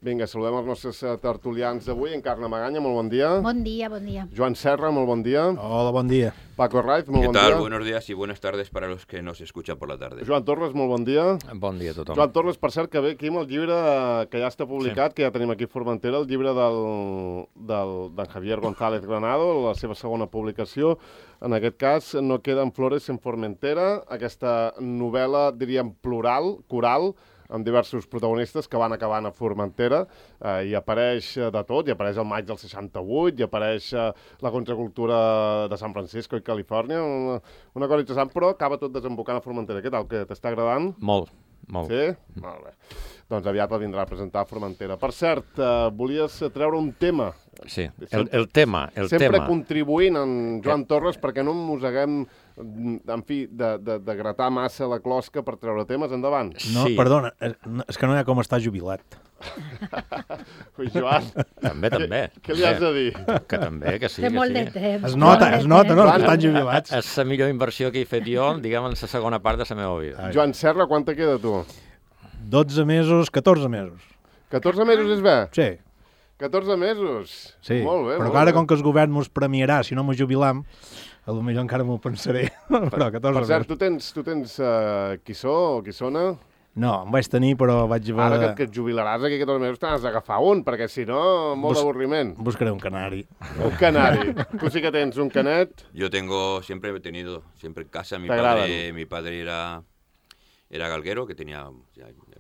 Vinga, saludem els nostres tertulians d'avui. Encarna Magaña, molt bon dia. Bon dia, bon dia. Joan Serra, molt bon dia. Hola, bon dia. Paco Raiz, molt bon dia. ¿Qué tal? Buenos días y buenas tardes para los que nos escuchan por la tarde. Joan Torres, molt bon dia. Bon dia a tothom. Joan Torres, per cert, que ve aquí amb el llibre que ja està publicat, que ja tenim aquí a Formentera, el llibre d'en Javier González Granado, la seva segona publicació. En aquest cas, No queden flores en Formentera, aquesta novel·la, diríem, plural, coral, amb diversos protagonistes que van acabant a Formentera. Hi apareix de tot, hi apareix el maig del 68, hi apareix la contracultura de San Francisco i Califòrnia, una cosa interessant, però acaba tot desembocant a Formentera. Què tal, que t'està agradant? Molt. Sí? Molt bé. Doncs aviat el vindrà a presentar a Formentera. Per cert, volies treure un tema. Sí, el tema. Sempre contribuint en Joan Torres perquè no mosseguem, en fi, de gratar massa la closca per treure temes. Endavant. No, Sí. perdona, és que no hi ha com estar jubilat. Ui, Joan, També. què li has de dir? Que també, que sí, Té que molt sí. de temps. Es nota, no? Joan, Que estan jubilats. És la millor inversió que he fet jo, diguem, en la segona part de la meva vida. Joan Serra, quant te queda, tu? 12 mesos, 14 mesos. 14 mesos és bé? Sí, 14 mesos? sí. Molt bé, Però molt que ara, bé. com que el govern mos premiarà, si no mos jubilam, potser encara m'ho pensaré. Però 14 Per cert, mesos. tu tens quissó o quissona? No, em vaig tenir, però vaig haver Ara de... que et jubilaràs aquí 14 mesos t'has d'agafar un, perquè si no, molt d'avorriment. Buscaré un canari. Un canari. Tu sí que tens un canet. Yo siempre he tenido, siempre en casa, mi padre era galguero, que tenía...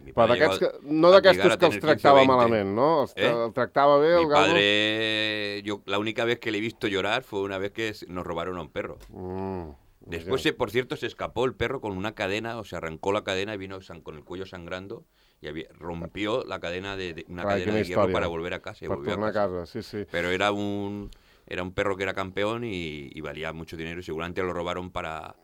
mi Però padre d'aquests llegó no a d'aquestos llegar a que els tener 15 o tractava 20. malament, no? El tractava bé, el Mi galgo? padre, la única vez que le he visto llorar fue una vez que nos robaron a un perro. Después, por cierto, se escapó el perro con una cadena, o se arrancó la cadena y vino con el cuello sangrando y rompió la cadena una cadena de hierro para volver a casa. Y Per volvió tornar a casa. a casa, sí. Pero era un perro que era campeón y valía mucho dinero y seguramente lo robaron para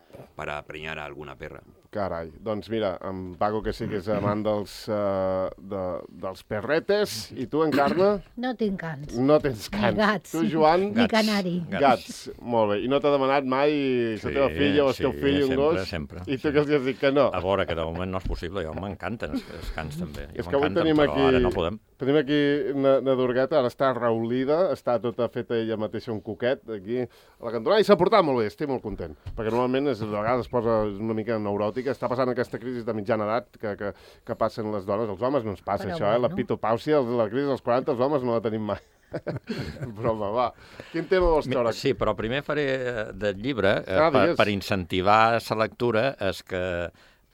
preñar a alguna perra. Carai, doncs mira, en Paco, que sí que és amant dels perretes, i tu, Encarna? No tinc cans. No tens cans. Ni gats. Tu, Joan? Ni canari. Gats. Molt bé. I no t'ha demanat mai la teva filla o el teu fill un gos? Sempre. I tu què els has dit que no? A veure, que de moment no és possible, jo m'encanten els cans també. És que avui tenim aquí... Però ara no podem. Tenim aquí una Durgueta, ara està raulida, està tota feta ella mateixa un coquet aquí a la cantonada i s'ha portat molt bé, estic molt content, perquè normalment a vegades es posa una mica neuròtica, està passant aquesta crisi de mitjana edat que passen les dones, els homes no ens passa Però això, la bueno. pitopàusia, la crisi dels 40, els homes no la tenim mai. Broma, va. Quin tema vols treure? Sí, però primer faré del llibre, digues. per incentivar la lectura, és que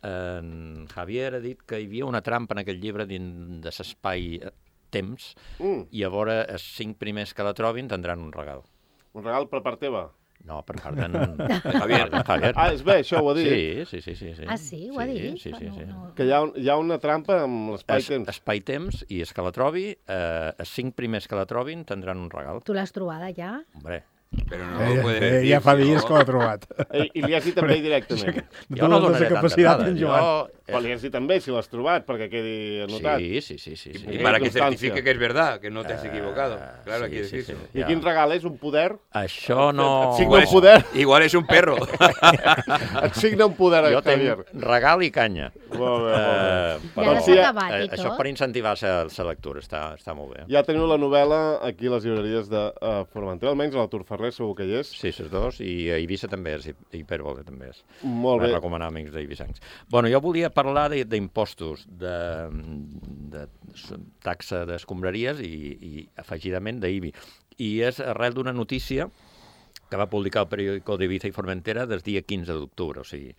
en Javier ha dit que hi havia una trampa en aquest llibre dins de l'espai-temps, i a veure, els 5 primers que la trobin tindran un regal. Un regal per part teva? No, per part d'en Javier. Javier. Ah, és bé, això ho ha dit. Sí. Ah, sí? Ho ha dit? Sí. Que hi ha una trampa amb l'espai-temps. Espai-temps, i és que la trobi, els 5 primers que la trobin tindran un regal. Tu l'has trobada ja? Hombre, Pero no lo puede decir. Ja fa si dies no- que l'ha trobat. I li has dit també directament. jo no donaré tantes dades. Però li has dit també si l'has trobat, perquè quedi anotat. Sí. Y para que constancia. certifique que es verdad, que no te has equivocado. Claro, hay que sí. decirlo. I quin regal és? Un poder? Això no... Et signa un poder? Igual es un perro. Et signa un poder, Jo Javier. tinc regal i canya. Molt bé, molt bé. I ara s'ha acabat i això tot? per incentivar la lectura, està molt bé. Ja teniu la novel·la aquí a les llibreries de Formentera, almenys a l'Artur Ferrer segur que hi és. Sí, les dos, i a Eivissa també és, i Hipèrbole també és. Molt Vaig bé. recomanar amics d'eivissancs. Bueno, jo volia parlar d'impostos, de taxa d'escombraries i afegidament d'IBI. I és arrel d'una notícia que va publicar el periòdico d'Eivissa i Formentera des dia 15 d'octubre, o sigui,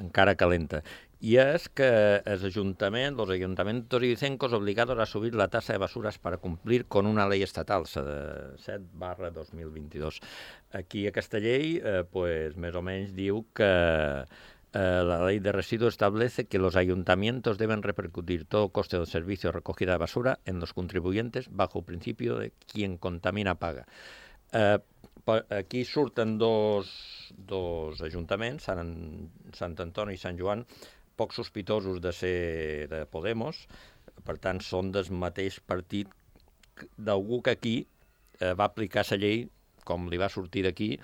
encara calenta. Y es que los ayuntamientos ibicencos obligados a subir la tasa de basuras para cumplir con una ley estatal, la de 7/2022. Aquí aquesta llei, pues, més o menys diu que la ley de residuos establece que los ayuntamientos deben repercutir todo coste del servicio de recogida de basura en los contribuyentes bajo el principio de quien contamina paga. Aquí surten dos ajuntaments, Sant Antoni i Sant Joan, poc sospitosos de ser de Podemos, per tant són del mateix partit d'algú que aquí va aplicar la llei com li va sortir d'aquí.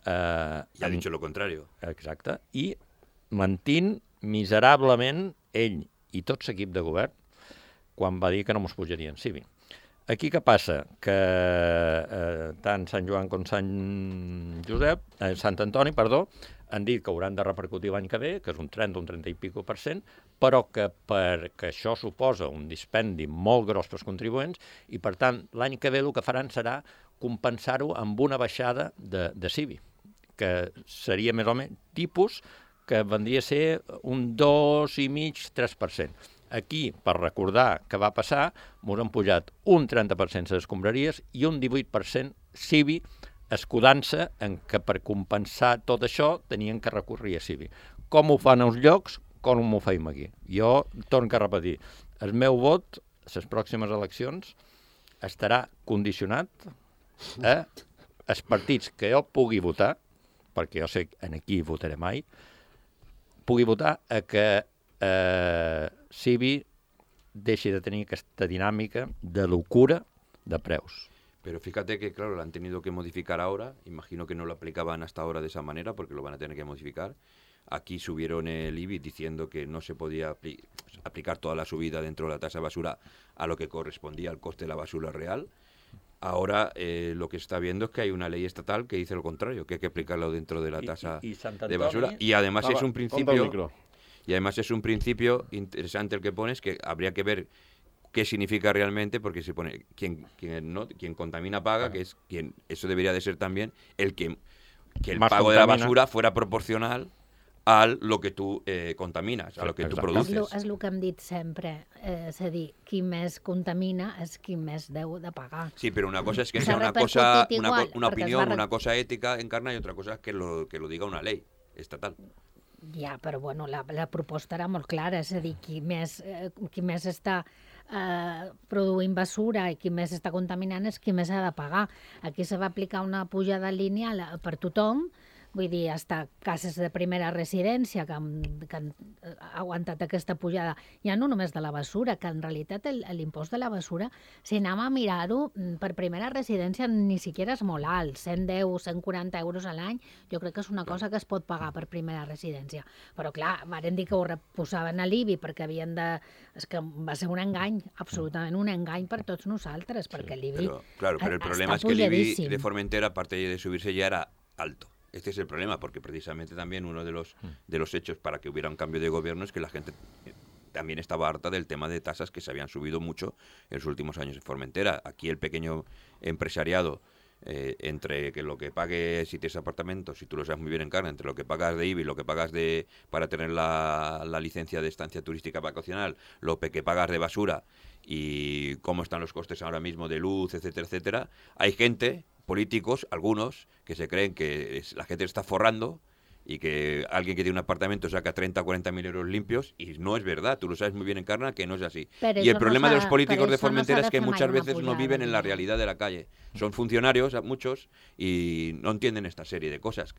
Y ha dicho lo contrario. Exacte, i mentint miserablement ell i tot l'equip de govern quan va dir que no mos pujarien CIVI. Aquí què passa? Que tant Sant Joan com Sant Antoni, han dit que hauran de repercutir l'any que ve, que és un 30 i pico %, però que perquè això suposa un dispendi molt gros pels contribuents i, per tant, l'any que ve el que faran serà compensar-ho amb una baixada de CIVI, que seria més o menys tipus que vendria a ser un 2,5-3%. Aquí, per recordar què va passar, ens han pujat un 30% les escombraries i un 18% CIVI, escudant-se en que per compensar tot això tenien que recórrer a CIVI. Com ho fan als llocs, com ho feim aquí. Jo torno a repetir, el meu vot a les pròximes eleccions estarà condicionat a els partits que jo pugui votar, perquè jo sé en qui votaré mai, pugui votar a que CIVI deixi de tenir aquesta dinàmica de locura de preus. Pero fíjate que, claro, lo han tenido que modificar ahora. Imagino que no lo aplicaban hasta ahora de esa manera porque lo van a tener que modificar. Aquí subieron el IBI diciendo que no se podía aplicar toda la subida dentro de la tasa de basura a lo que correspondía al coste de la basura real. Ahora lo que se está viendo es que hay una ley estatal que dice lo contrario, que hay que aplicarlo dentro de la tasa de basura. Y además es un principio... Y además es un principio interesante el que pones, que habría que ver qué significa realmente, porque se pone quien contamina paga, que es quien, eso debería de ser también que el pago de la basura fuera proporcional a lo que tu contaminas, a lo que tu produces. És el que hem dit sempre, és a dir, qui més contamina és qui més deu de pagar. Sí, pero una cosa es que sea una opinión, una cosa ética encarna, y otra cosa es que lo diga una ley estatal. Ja, però bueno, la proposta era molt clara, és a dir, qui més està produint basura i qui més està contaminant és qui més ha de pagar. Aquí se va aplicar una pujada lineal per tothom, vull dir, hasta cases de primera residència que han aguantat aquesta pujada, ja no només de la basura, que en realitat l'impost de la basura, si anem a mirar-ho, per primera residència ni siquiera és molt alt, 110, 140 euros a l'any, jo crec que és una cosa que es pot pagar per primera residència. Però clar, varen dir que ho reposaven a l'IBI perquè havien de... És que va ser un engany, absolutament un engany per tots nosaltres, perquè l'IBI Claro, pero el problema es que l'IBI de Formentera, aparte de subirse, ya era alto. Este es el problema, porque precisamente también uno de los hechos para que hubiera un cambio de gobierno es que la gente también estaba harta del tema de tasas que se habían subido mucho en los últimos años en Formentera. Aquí el pequeño empresariado, entre que lo que pague si tienes apartamentos, si tú lo sabes muy bien en carne, entre lo que pagas de IBI, lo que pagas para tener la licencia de estancia turística vacacional, lo que pagas de basura y cómo están los costes ahora mismo de luz, etcétera, etcétera, hay gente... políticos, algunos, que se creen que la gente está forrando y que alguien que tiene un apartamento saca 30 o 40 mil euros limpios, y no es verdad, tú lo sabes muy bien, Encarna, que no es así. Y el problema de los políticos de Formentera es que muchas veces no viven en la realidad de la calle. Son funcionarios, muchos, y no entienden esta serie de cosas.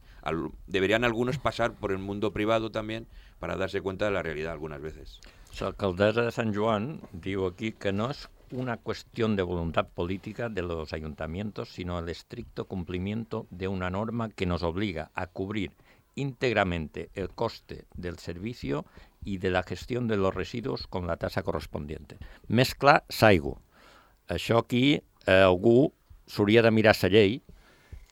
Deberían algunos pasar por el mundo privado también para darse cuenta de la realidad algunas veces. L'alcaldessa de Sant Joan diu aquí que no es una cuestión de voluntad política de los ayuntamientos, sino el estricto cumplimiento de una norma que nos obliga a cubrir íntegramente el coste del servicio y de la gestión de los residuos con la tasa correspondiente. Més clar, s'aigua. Això aquí algú s'hauria de mirar la llei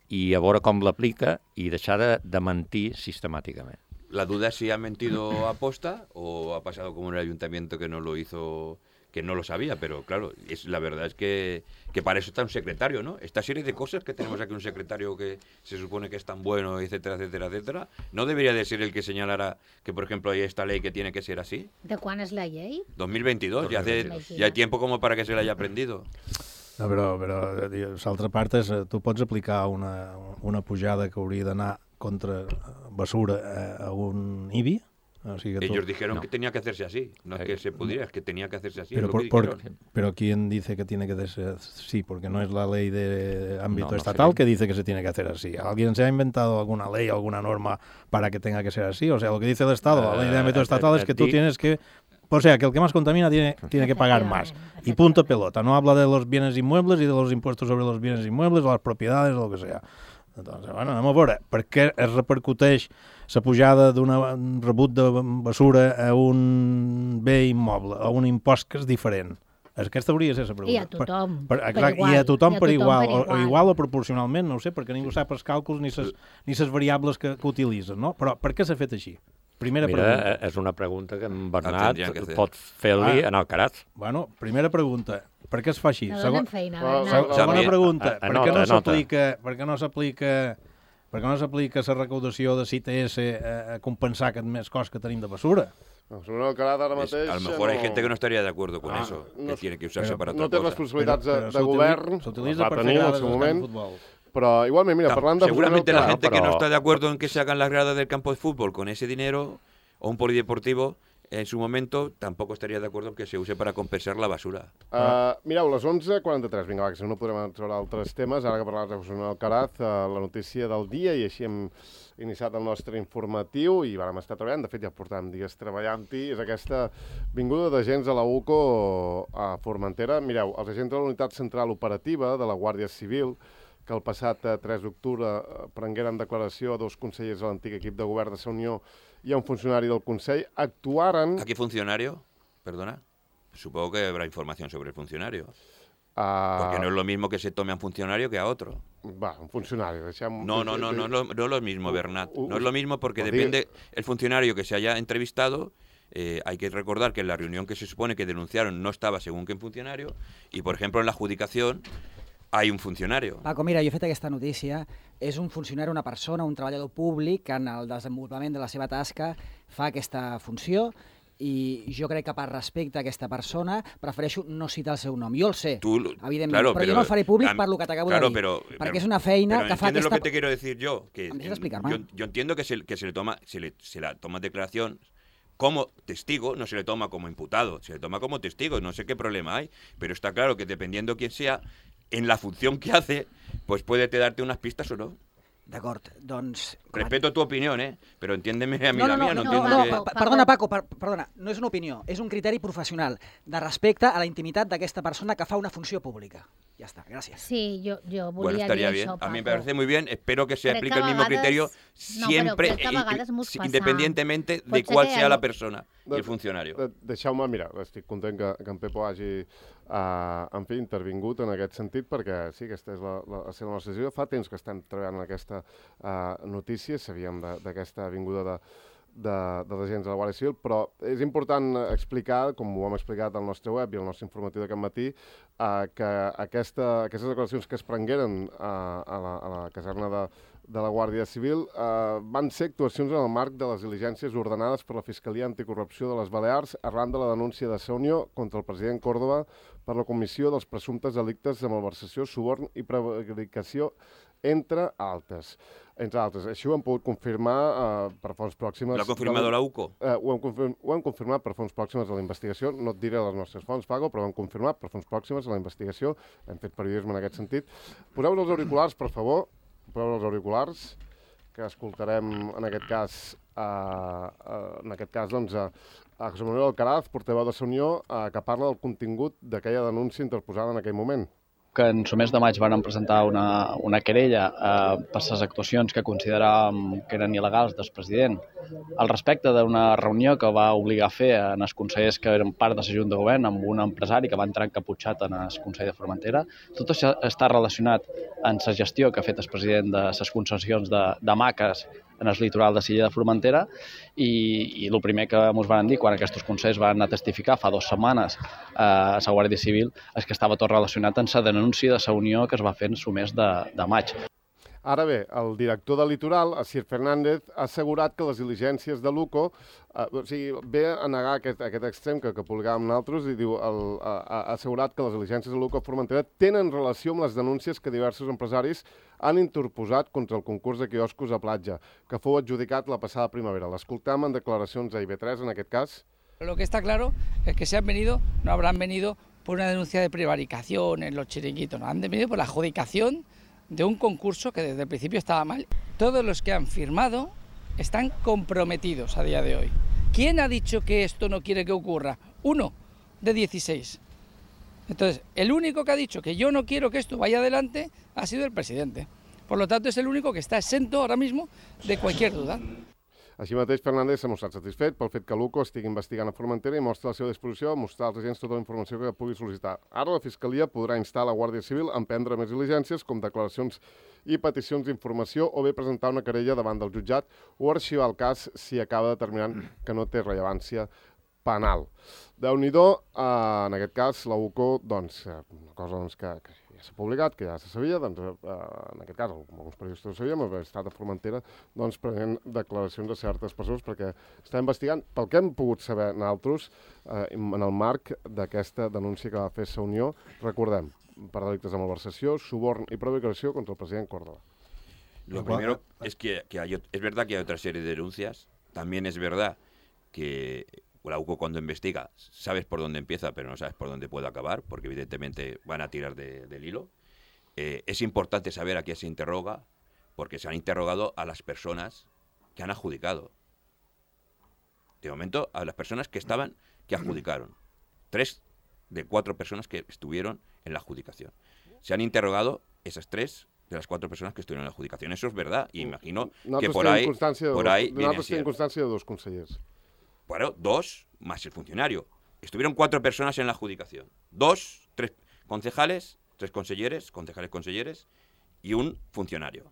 i a veure com l'aplica i deixar de mentir sistemàticament. La duda es si ha mentido aposta o ha pasado como en el ayuntamiento que no lo hizo, que no lo sabía, pero claro, la verdad es que para eso está un secretario, ¿no? Esta serie de cosas que tenemos aquí, un secretario que se supone que es tan bueno, etcétera, etcétera, etcétera, ¿no debería de ser el que señalara que, por ejemplo, hay esta ley que tiene que ser así? ¿De cuándo es la ley? 2022, ya hay tiempo como para que se la haya aprendido. No, però l'altra part és, tu pots aplicar una pujada que hauria d'anar contra basura a un IBI. O sigui que ellos dijeron que tenía que hacerse así, no es que se pudiera, es que tenía que hacerse así. Pero ¿quién dice que tiene que hacerse así? Porque no es la ley de ámbito estatal que dice que se tiene que hacer así. ¿Alguien se ha inventado alguna ley, alguna norma para que tenga que ser así? O sea, lo que dice el Estado, la ley de ámbito estatal es que tú tienes que... O sea, que el que más contamina tiene que pagar más. Y punto pelota. No habla de los bienes inmuebles y de los impuestos sobre los bienes inmuebles, o las propiedades, o lo que sea. Doncs, bueno, anem a veure, per què es repercuteix la pujada d'un rebut de basura a un bé immoble, a un impost que és diferent? Aquesta hauria de ser la pregunta. I a tothom, per igual. I a tothom per igual, o igual o proporcionalment, no ho sé, perquè ningú sap els càlculs ni les variables que utilitzen, no? Però per què s'ha fet així? Primera pregunta. És una pregunta que en Bernat pot fer-li en Alcaraz. Bueno, primera pregunta, per què es fa així? No donen feina, Segona pregunta, per què no s'aplica la recaudació de CITS a compensar aquest més cost que tenim de basura? Según Alcaraz ara mateix... A lo mejor hay gente que no estaría de acuerdo con eso, que tiene que usarse para otra cosa. No té responsabilitats de govern, s'utilitza per tenir en el seu moment, però igualment, mira, parlant de... Seguramente la gente que no está de acuerdo en que se hagan las gradas del campo de fútbol con ese dinero, o un polideportivo, en su momento tampoco estaría de acuerdo en que se use para compensar la basura. Mireu, les 11:43, vinga, va, que si no podrem entrar altres temes, ara que parlaves de José Manuel Alcaraz, la notícia del dia, i així hem iniciat el nostre informatiu i vam estar treballant, de fet ja portàvem dies treballant-hi, és aquesta vinguda d'agents a la UCO a Formentera. Mireu, els agents de la Unitat Central Operativa de la Guàrdia Civil, que el passat 3 d'octubre prengueren declaració a 2 consellers de l'antic equip de govern de la Unió y a un funcionario del Consell, actuaren... ¿A qué funcionario? Perdona. Supongo que habrá información sobre el funcionario. Porque no es lo mismo que se tome a un funcionario que a otro. Va, un funcionario. No es lo mismo, Bernat. No es lo mismo porque depende el funcionario que se haya entrevistado. Hay que recordar que en la reunión que se supone que denunciaron no estaba según qué funcionario. Y, por ejemplo, en la adjudicación hay un funcionario. Paco, mira, jo he fet aquesta notícia. És un funcionari, una persona, un treballador públic que en el desenvolupament de la seva tasca fa aquesta funció i jo crec que per respecte a aquesta persona prefereixo no citar el seu nom. Jo el sé, evidentment, claro, però jo no el faré públic per lo que t'acabo de dir, perquè és una feina que fa aquesta... lo que te quiero decir yo? Que yo entiendo que se la toma declaración como testigo, no se le toma como imputado, se le toma como testigo, no sé qué problema hay, pero está claro que dependiendo quién sea, en la función que hace, pues puede darte unas pistas o no. D'acord, doncs... Respeto tu opinió, però entiéndeme a mi la mía. Perdona, Paco, perdona, no és una opinió, és un criteri professional de respecte a la intimitat d'aquesta persona que fa una funció pública. Ja està, gràcies. Sí, yo bueno, estaría bien. Paco. A mí me parece muy bien. Espero que se aplique el mismo criterio siempre, independientemente de cuál sea la persona i el funcionari. Deixeu-me, mira, estic content que en Pepo hagi en fi, intervingut en aquest sentit, perquè sí, aquesta és la nostra decisió. Fa temps que estem treballant en aquesta notícia, sabíem d'aquesta vinguda dels agents de la Guàrdia Civil, però és important explicar, com ho hem explicat al nostre web i al nostre informatiu d'aquest matí, que aquestes declaracions que es prengueren a la caserna de la Guàrdia Civil van ser actuacions en el marc de les diligències ordenades per la Fiscalia Anticorrupció de les Balears arran de la denúncia de Saunió contra el president Córdoba per la comissió dels presumptes delictes de malversació, suborn i prevaricació, entre altres. Així ho hem pogut confirmar per fonts pròximes... L'ha confirmat la UCO? Ho hem confirmat per fonts pròximes a la investigació. No et diré les nostres fonts, Paco, però ho hem confirmat per fonts pròximes a la investigació. Hem fet periodisme en aquest sentit. Poseu els auriculars, per favor. Poseu els auriculars, que escoltarem en aquest cas, doncs, a José Manuel Alcaraz, portaveu de la Unió, que parla del contingut d'aquella denúncia interposada en aquell moment. Que en el mes de maig van presentar una querella per les actuacions que consideràvem que eren il·legals del president al respecte d'una reunió que va obligar a fer en els consellers que eren part de la Junta de Govern amb un empresari que va entrar encaputxat en el Consell de Formentera. Tot això està relacionat amb la gestió que ha fet el president de les concessions de maques en el litoral de Silla de Formentera i el primer que ens van dir quan aquests consells van anar a testificar fa 2 setmanes a la Guàrdia Civil és que estava tot relacionat amb la denúncia de la Unió que es va fer en el mes de maig. Ara bé, el director del Litoral, Asier Fernández, ha assegurat que les diligències de l'UCO, ve a negar aquest extrem que publicàvem nosaltres, i diu, ha assegurat que les diligències de l'UCO a Formentera tenen relació amb les denúncies que diversos empresaris han interposat contra el concurs de quioscos a platja, que fou adjudicat la passada primavera. L'escoltam en declaracions a IB3, en aquest cas. Lo que está claro es que si han venido, no habrán venido por una denuncia de prevaricación en los chiringuitos, no, han venido por la adjudicación de un concurso que desde el principio estaba mal. Todos los que han firmado están comprometidos a día de hoy. ¿Quién ha dicho que esto no quiere que ocurra? 1 de 16. Entonces, el único que ha dicho que yo no quiero que esto vaya adelante ha sido el presidente. Por lo tanto, es el único que está exento ahora mismo de cualquier duda. Així mateix, Fernández s'ha mostrat satisfet pel fet que l'UCO estigui investigant a Formentera i mostra la seva disposició a mostrar als agents tota la informació que pugui sol·licitar. Ara la Fiscalia podrà instar la Guàrdia Civil a emprendre més diligències com declaracions i peticions d'informació o bé presentar una querella davant del jutjat o arxivar el cas si acaba determinant que no té rellevància penal. Déu-n'hi-do, en aquest cas, la UCO, doncs, una cosa que ja s'ha publicat, que ja se sabia, doncs, en aquest cas, alguns periodistes ho sabíem, l'estat de Formentera, doncs, prenent declaracions de certes persones, perquè està investigant, pel que hem pogut saber nosaltres, en el marc d'aquesta denúncia que va fer Sa Unió, recordem, per delictes de malversació, suborn y prevaricació contra el president Córdoba. Lo primero es que es verdad que hay otra serie de denuncias. También es verdad que la UCO cuando investiga sabes por dónde empieza, pero no sabes por dónde puede acabar, porque evidentemente van a tirar del hilo. Es importante saber a quién se interroga, porque se han interrogado a las personas que han adjudicado. De momento, a las personas que adjudicaron. 3 de 4 personas que estuvieron en la adjudicación. Se han interrogado esas 3 de las 4 personas que estuvieron en la adjudicación. Eso es verdad. Y imagino que por ahí Nosaltres tenim constància de 2 consellers. Bueno, 2 más el funcionario. Estuvieron 4 personas en la adjudicación. 2, 3 concejales, 3 conselleres y un funcionario.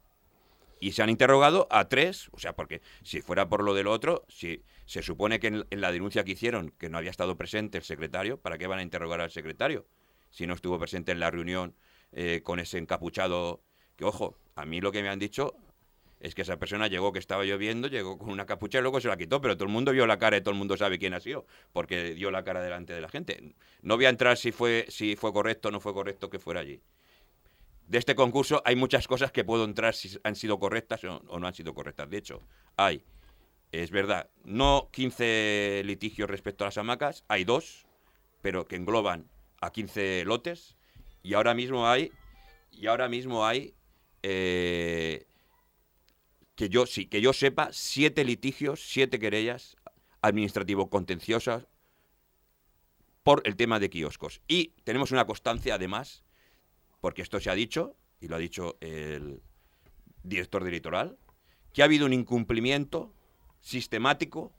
Y se han interrogado a 3, o sea, porque si fuera por lo del otro, si se supone que en la denuncia que hicieron que no había estado presente el secretario, ¿para qué van a interrogar al secretario? Si no estuvo presente en la reunión con ese encapuchado, que ojo, a mí lo que me han dicho es que esa persona llegó, que estaba lloviendo, llegó con una capucha y luego se la quitó, pero todo el mundo vio la cara y todo el mundo sabe quién ha sido, porque dio la cara delante de la gente. No voy a entrar si fue correcto o no fue correcto que fuera allí. De este concurso hay muchas cosas que puedo entrar si han sido correctas o no han sido correctas. De hecho, es verdad, no 15 litigios respecto a las hamacas, hay 2, pero que engloban a 15 lotes, y ahora mismo hay que yo sepa, 7 litigios, 7 querellas administrativo-contenciosas por el tema de kioscos. Y tenemos una constancia, además, porque esto se ha dicho, y lo ha dicho el director del Litoral, que ha habido un incumplimiento sistemático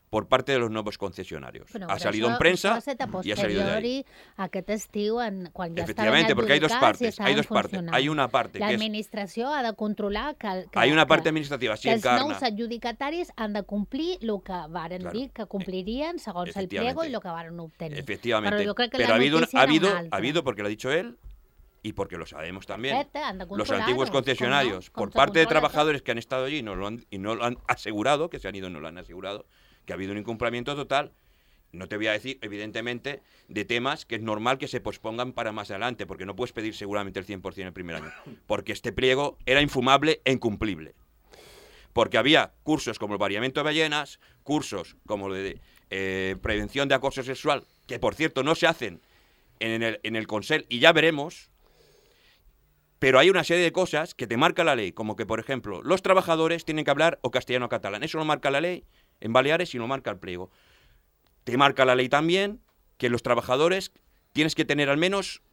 por parte de los nuevos concesionarios. Però ha salido en prensa y ha salido de ahí. Aquest estiu, quan ja Efectivamente, porque hay 2 partes. Hay 2 partes. funcionant. Hay una parte que es... L'administració ha de controlar que Hay una parte administrativa, si que els encarna. nous adjudicataris han de complir el que varen Claro. dir que complirien segons el pliego i el que varen obtenir. Efectivamente. Però jo crec que Pero la ha habido, notícia ha era habido, una altra. ha habido, porque lo ha dicho él, y porque lo sabemos también, Perfecte, han de los controlar-ho, antiguos concesionarios, com por se parte de controla trabajadores que han estado allí y no lo han asegurado, que se han ido y no lo han asegurado, que ha habido un incumplimiento total. No te voy a decir, evidentemente, de temas que es normal que se pospongan para más adelante, porque no puedes pedir seguramente el 100% el primer año, porque este pliego era infumable e incumplible. Porque había cursos como el variamiento de ballenas, cursos como de prevención de acoso sexual, que por cierto no se hacen en el Consell, y ya veremos, pero hay una serie de cosas que te marca la ley, como que, por ejemplo, los trabajadores tienen que hablar o castellano o catalán. Eso lo marca la ley en Baleares y lo marca el pliego. Te marca la ley también que los trabajadores tienes que tener al menos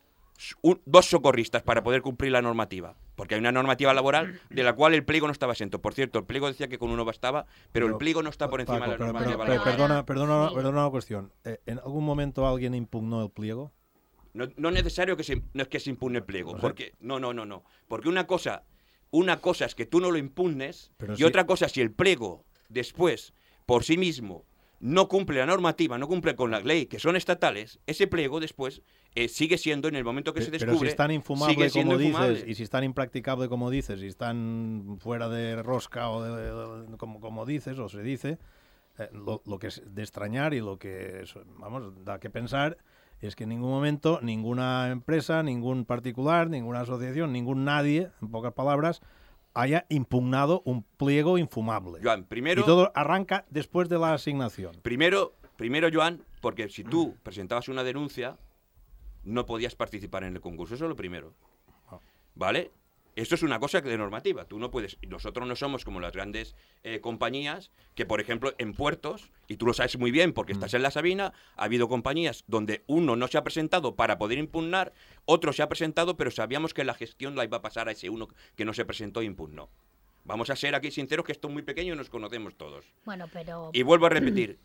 2 socorristas para poder cumplir la normativa, porque hay una normativa laboral de la cual el pliego no estaba exento. Por cierto, el pliego decía que con 1 bastaba, pero el pliego no está por encima de la normativa laboral. Perdona una cuestión. ¿En algún momento alguien impugnó el pliego? No es necesario no es que se impugne el pliego, porque no. Porque una cosa es que tú no lo impugnes, Pero y sí. otra cosa, si el pliego después, por sí mismo, no cumple la normativa, no cumple con la ley, que son estatales, ese pliego después sigue siendo, en el momento que se descubre, pero si es tan infumable sigue siendo como infumable. dices, y si es tan impracticable como dices, y están fuera de rosca o como dices o se dice, lo que es de extrañar y lo que, da que pensar es que en ningún momento ninguna empresa, ningún particular, ninguna asociación, ningún nadie, en pocas palabras, haya impugnado un pliego infumable. Joan, primero... Y todo arranca después de la asignación. Primero, Joan, porque si tú presentabas una denuncia, no podías participar en el concurso. Eso es lo primero. ¿Vale? Esto es una cosa de normativa. Tú no puedes... Nosotros no somos como las grandes compañías que, por ejemplo, en puertos, y tú lo sabes muy bien porque estás en la Sabina, ha habido compañías donde uno no se ha presentado para poder impugnar, otro se ha presentado, pero sabíamos que la gestión la iba a pasar a ese uno que no se presentó e impugnó. Vamos a ser aquí sinceros que esto es muy pequeño y nos conocemos todos. Bueno, pero... Y vuelvo a repetir,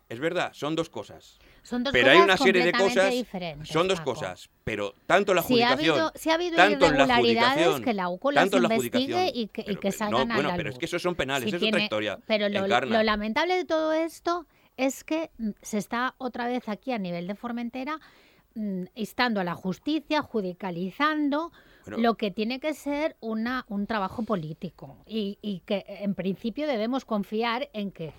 es verdad, son dos cosas. Son dos pero cosas hay una serie de cosas, diferentes, son dos Paco. cosas, pero tanto la adjudicación, si ha habido tanto en la irregularidades, adjudicación, que la UCO las tanto en la investigue adjudicación, y que salgan a la luz. Pero es que esos son penales, es otra historia. Pero lo Encarna. lamentable de todo esto es que se está otra vez aquí a nivel de Formentera instando a la justicia, judicializando lo que tiene que ser un trabajo político y que en principio debemos confiar en que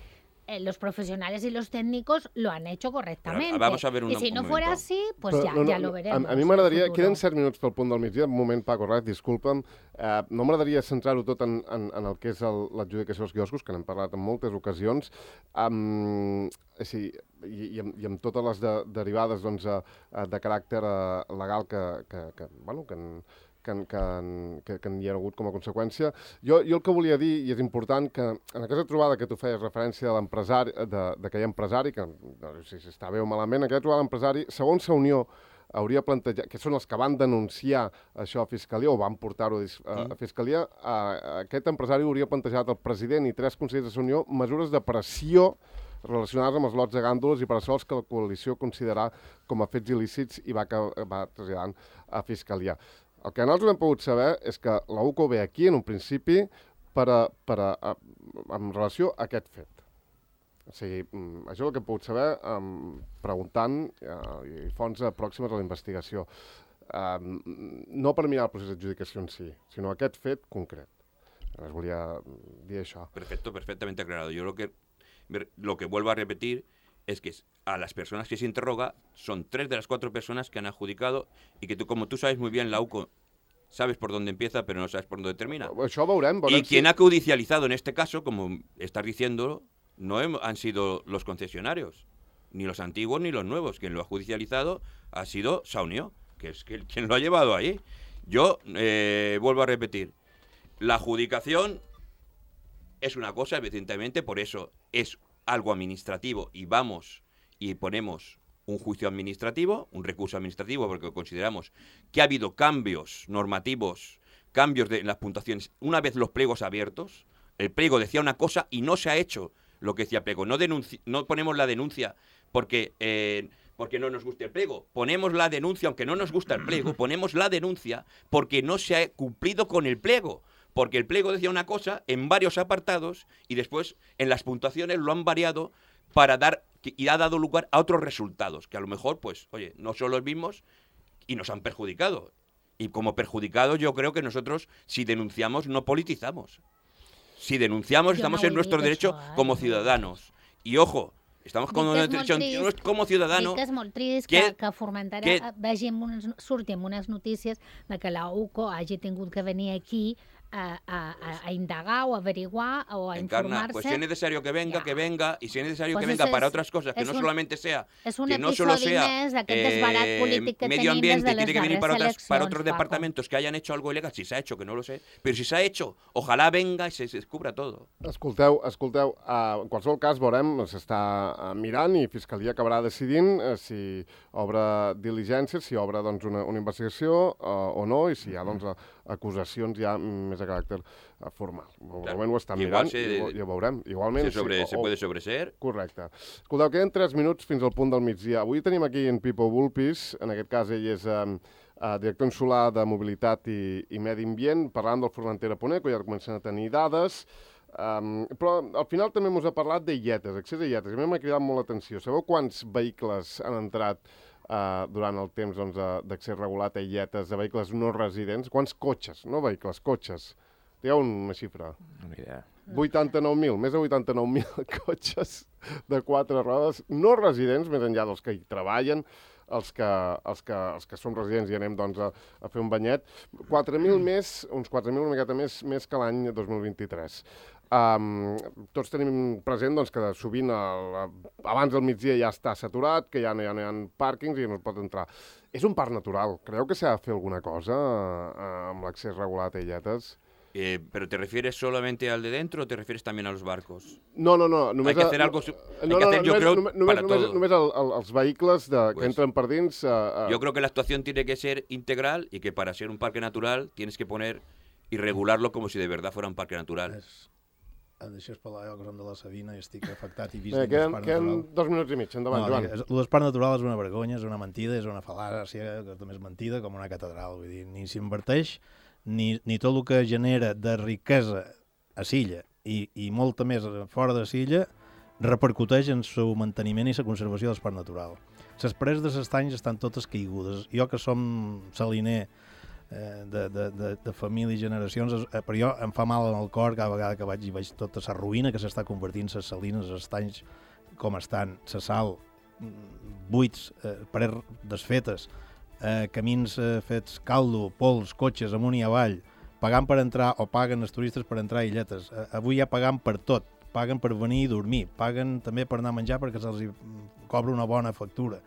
los profesionales y los técnicos lo han hecho correctament. Vamos a ver I si no fuera así, pues però, ja lo veremos. A mi m'agradaria... Queden 7 minuts pel punt del migdia. Un moment, Paco Raz, disculpa'm. No m'agradaria centrar-ho tot en el que és l'adjudicació dels quioscos, que n'hem parlat en moltes ocasions, i amb totes les derivades doncs, de caràcter legal que n'hi ha hagut com a conseqüència. Jo el que volia dir, i és important, que en aquesta trobada que tu feies referència a l'empresari, d'aquell empresari, que no sé si està bé o malament, aquella trobada d'empresari, segons la Unió, hauria plantejat, que són els que van denunciar això a Fiscalia, o van portar-ho a Fiscalia, aquest empresari hauria plantejat al president i 3 consellers de la Unió mesures de pressió relacionades amb els lots de gàndoles i per això els que la coalició considerarà com a fets il·lícits i va traslladant a Fiscalia. El que nosaltres hem pogut saber és que la UCO ve aquí, en un principi, en relació a aquest fet. O sigui, això és el que he pogut saber preguntant i fonts pròximes a la investigació. No per mirar el procés d'adjudicació en si, sinó aquest fet concret. Llavors volia dir això. Perfectamente aclarado. Yo lo que vuelvo a repetir es que a las personas que se interroga son 3 de las 4 personas que han adjudicado y que tú, como tú sabes muy bien, la UCO sabes por dónde empieza, pero no sabes por dónde termina. Això veurem. Y quien ha judicializado en este caso, como estás diciendo, no han sido los concesionarios, ni los antiguos ni los nuevos. Quien lo ha judicializado ha sido Saunió, que es quien lo ha llevado ahí. Yo vuelvo a repetir, la adjudicación es una cosa, evidentemente, por eso es algo administrativo y vamos y ponemos un juicio administrativo, un recurso administrativo, porque consideramos que ha habido cambios normativos, cambios en las puntuaciones. Una vez los pliegos abiertos, el pliego decía una cosa y no se ha hecho lo que decía el pliego. No ponemos la denuncia porque no nos guste el pliego. Ponemos la denuncia, aunque no nos gusta el pliego, ponemos la denuncia porque no se ha cumplido con el pliego. Porque el pliego decía una cosa en varios apartados y después en las puntuaciones lo han variado y ha dado lugar a otros resultados, que a lo mejor, pues, oye, no son los mismos y nos han perjudicado. Y como perjudicados yo creo que nosotros, si denunciamos, no politizamos. Si denunciamos, estamos en nuestro derecho como ciudadanos. Y ojo, estamos como ciudadanos... Dic que és molt trist que a Formentera surti amb unes notícies de que la UCO hagi tingut que venir aquí a indagar o a averiguar o a informarse. Pues si es necesario que venga, que venga, y si es necesario que venga para otras cosas, que no solamente sea que no solo sea medio ambiente, que tiene que venir para otros departamentos que hayan hecho algo ilegal, si s'ha hecho, que no lo sé, pero si s'ha hecho, ojalá venga y se descubra todo. Escolteu, en qualsevol cas veurem, s'està mirant i Fiscalia acabarà decidint si obre diligències, si obre doncs, una investigació o no, i si hi ha doncs, acusacions ja més de caràcter formal. Normalment ho estan mirant i ho veurem. Igualment, se puede sobreseer. Correcte. Escolteu, queden 3 minuts fins al punt del migdia. Avui tenim aquí en Pipo Bulpis, en aquest cas ell és director insular de mobilitat i medi ambient, parlant del Formentera Ponent, que ja comencen a tenir dades, però al final també ens ha parlat d'illetes, accés a illetes, i a mi m'ha cridat molt l'atenció. Sabeu quants vehicles han entrat durant el temps d'accés regulat a illetes de vehicles no residents? Quants cotxes, no vehicles, cotxes? Digueu una xifra. No idea. 89.000, més de 89.000 cotxes de 4 rodes no residents, més enllà dels que hi treballen, els que som residents i anem doncs, a fer un banyet. 4.000 més, uns 4.000 una miqueta més que l'any 2023. Tots tenim present doncs, que sovint abans del migdia ja està saturat, que ja no hi ha pàrquings i no es pot entrar. És un parc natural. Creu que s'ha de fer alguna cosa amb l'accés regulat a illetes? ¿Pero te refieres solamente al de dentro o te refieres también a los barcos? No. Hay que hacer algo... yo creo, para todo. Només els vehicles que entren per dins... Yo creo que la actuación tiene que ser integral y que para ser un parque natural tienes que poner y regularlo como si de verdad fuera un parque natural. Deixes parlar jo, que som de la Sabina i estic afectat i vist Bé, dins del parc queden natural. 2 minuts i mig. Endavant, Joan. El del parc natural és una vergonya, és una mentida, és una fal·làcia, que també és mentida, com una catedral. Vull dir, ni s'inverteix, ni tot el que genera de riquesa a Silla i molta més fora de Silla repercuteix en el manteniment i la conservació del parc natural. Les preses de l'estany estan totes caigudes. Jo, que som saliner de família i generacions, però jo em fa mal en el cor cada vegada que vaig i veig tota la ruïna que s'està convertint, les salines, els estanys com estan, la sal, buits, parets desfetes, camins fets caldo, pols, cotxes amunt i avall, pagant per entrar o paguen els turistes per entrar a illetes. Avui ja pagant per tot, paguen per venir i dormir, paguen també per anar a menjar perquè se'ls cobra una bona factura.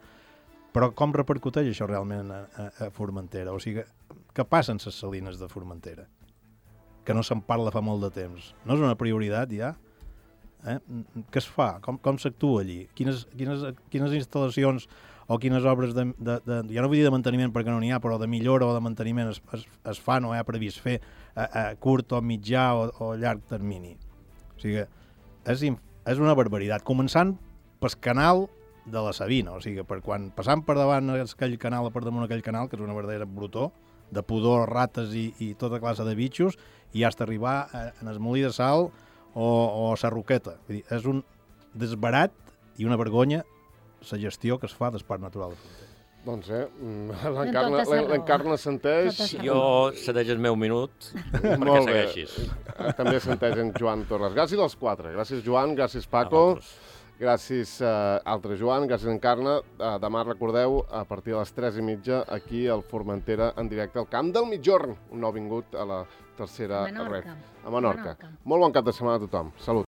Però com repercuteix això realment a Formentera? O sigui, què passa amb les salines de Formentera? Que no se'n parla fa molt de temps. No és una prioritat ja? Què es fa? Com s'actua allí? Quines instal·lacions o quines obres ja no vull dir de manteniment perquè no n'hi ha, però de millora o de manteniment es fan o hi ha previst fer a curt o mitjà o llarg termini? O sigui, és una barbaritat. Començant pel canal de la Sabina, o sigui, passant per davant aquell canal, per damunt aquell canal, que és una verdadera brutó, de pudor, rates i tota classe de bitxos, i hasta arribar en el molí de sal o a Sarroqueta. Vull dir, és un desbarat i una vergonya la gestió que es fa del Parc Natural de Formentera. Doncs l'Encarna senteix. Jo cedeix el meu minut perquè segueixis. També senteix en Joan Torres. Gràcies als 4. Gràcies, Joan. Gràcies, Paco. Gràcies, altre Joan. Gràcies, Encarna. Demà, recordeu, a partir de les 3:30, aquí al Formentera, en directe al Camp del Migjorn. Un nou vingut a la tercera ref. A Menorca. Molt bon cap de setmana a tothom. Salut.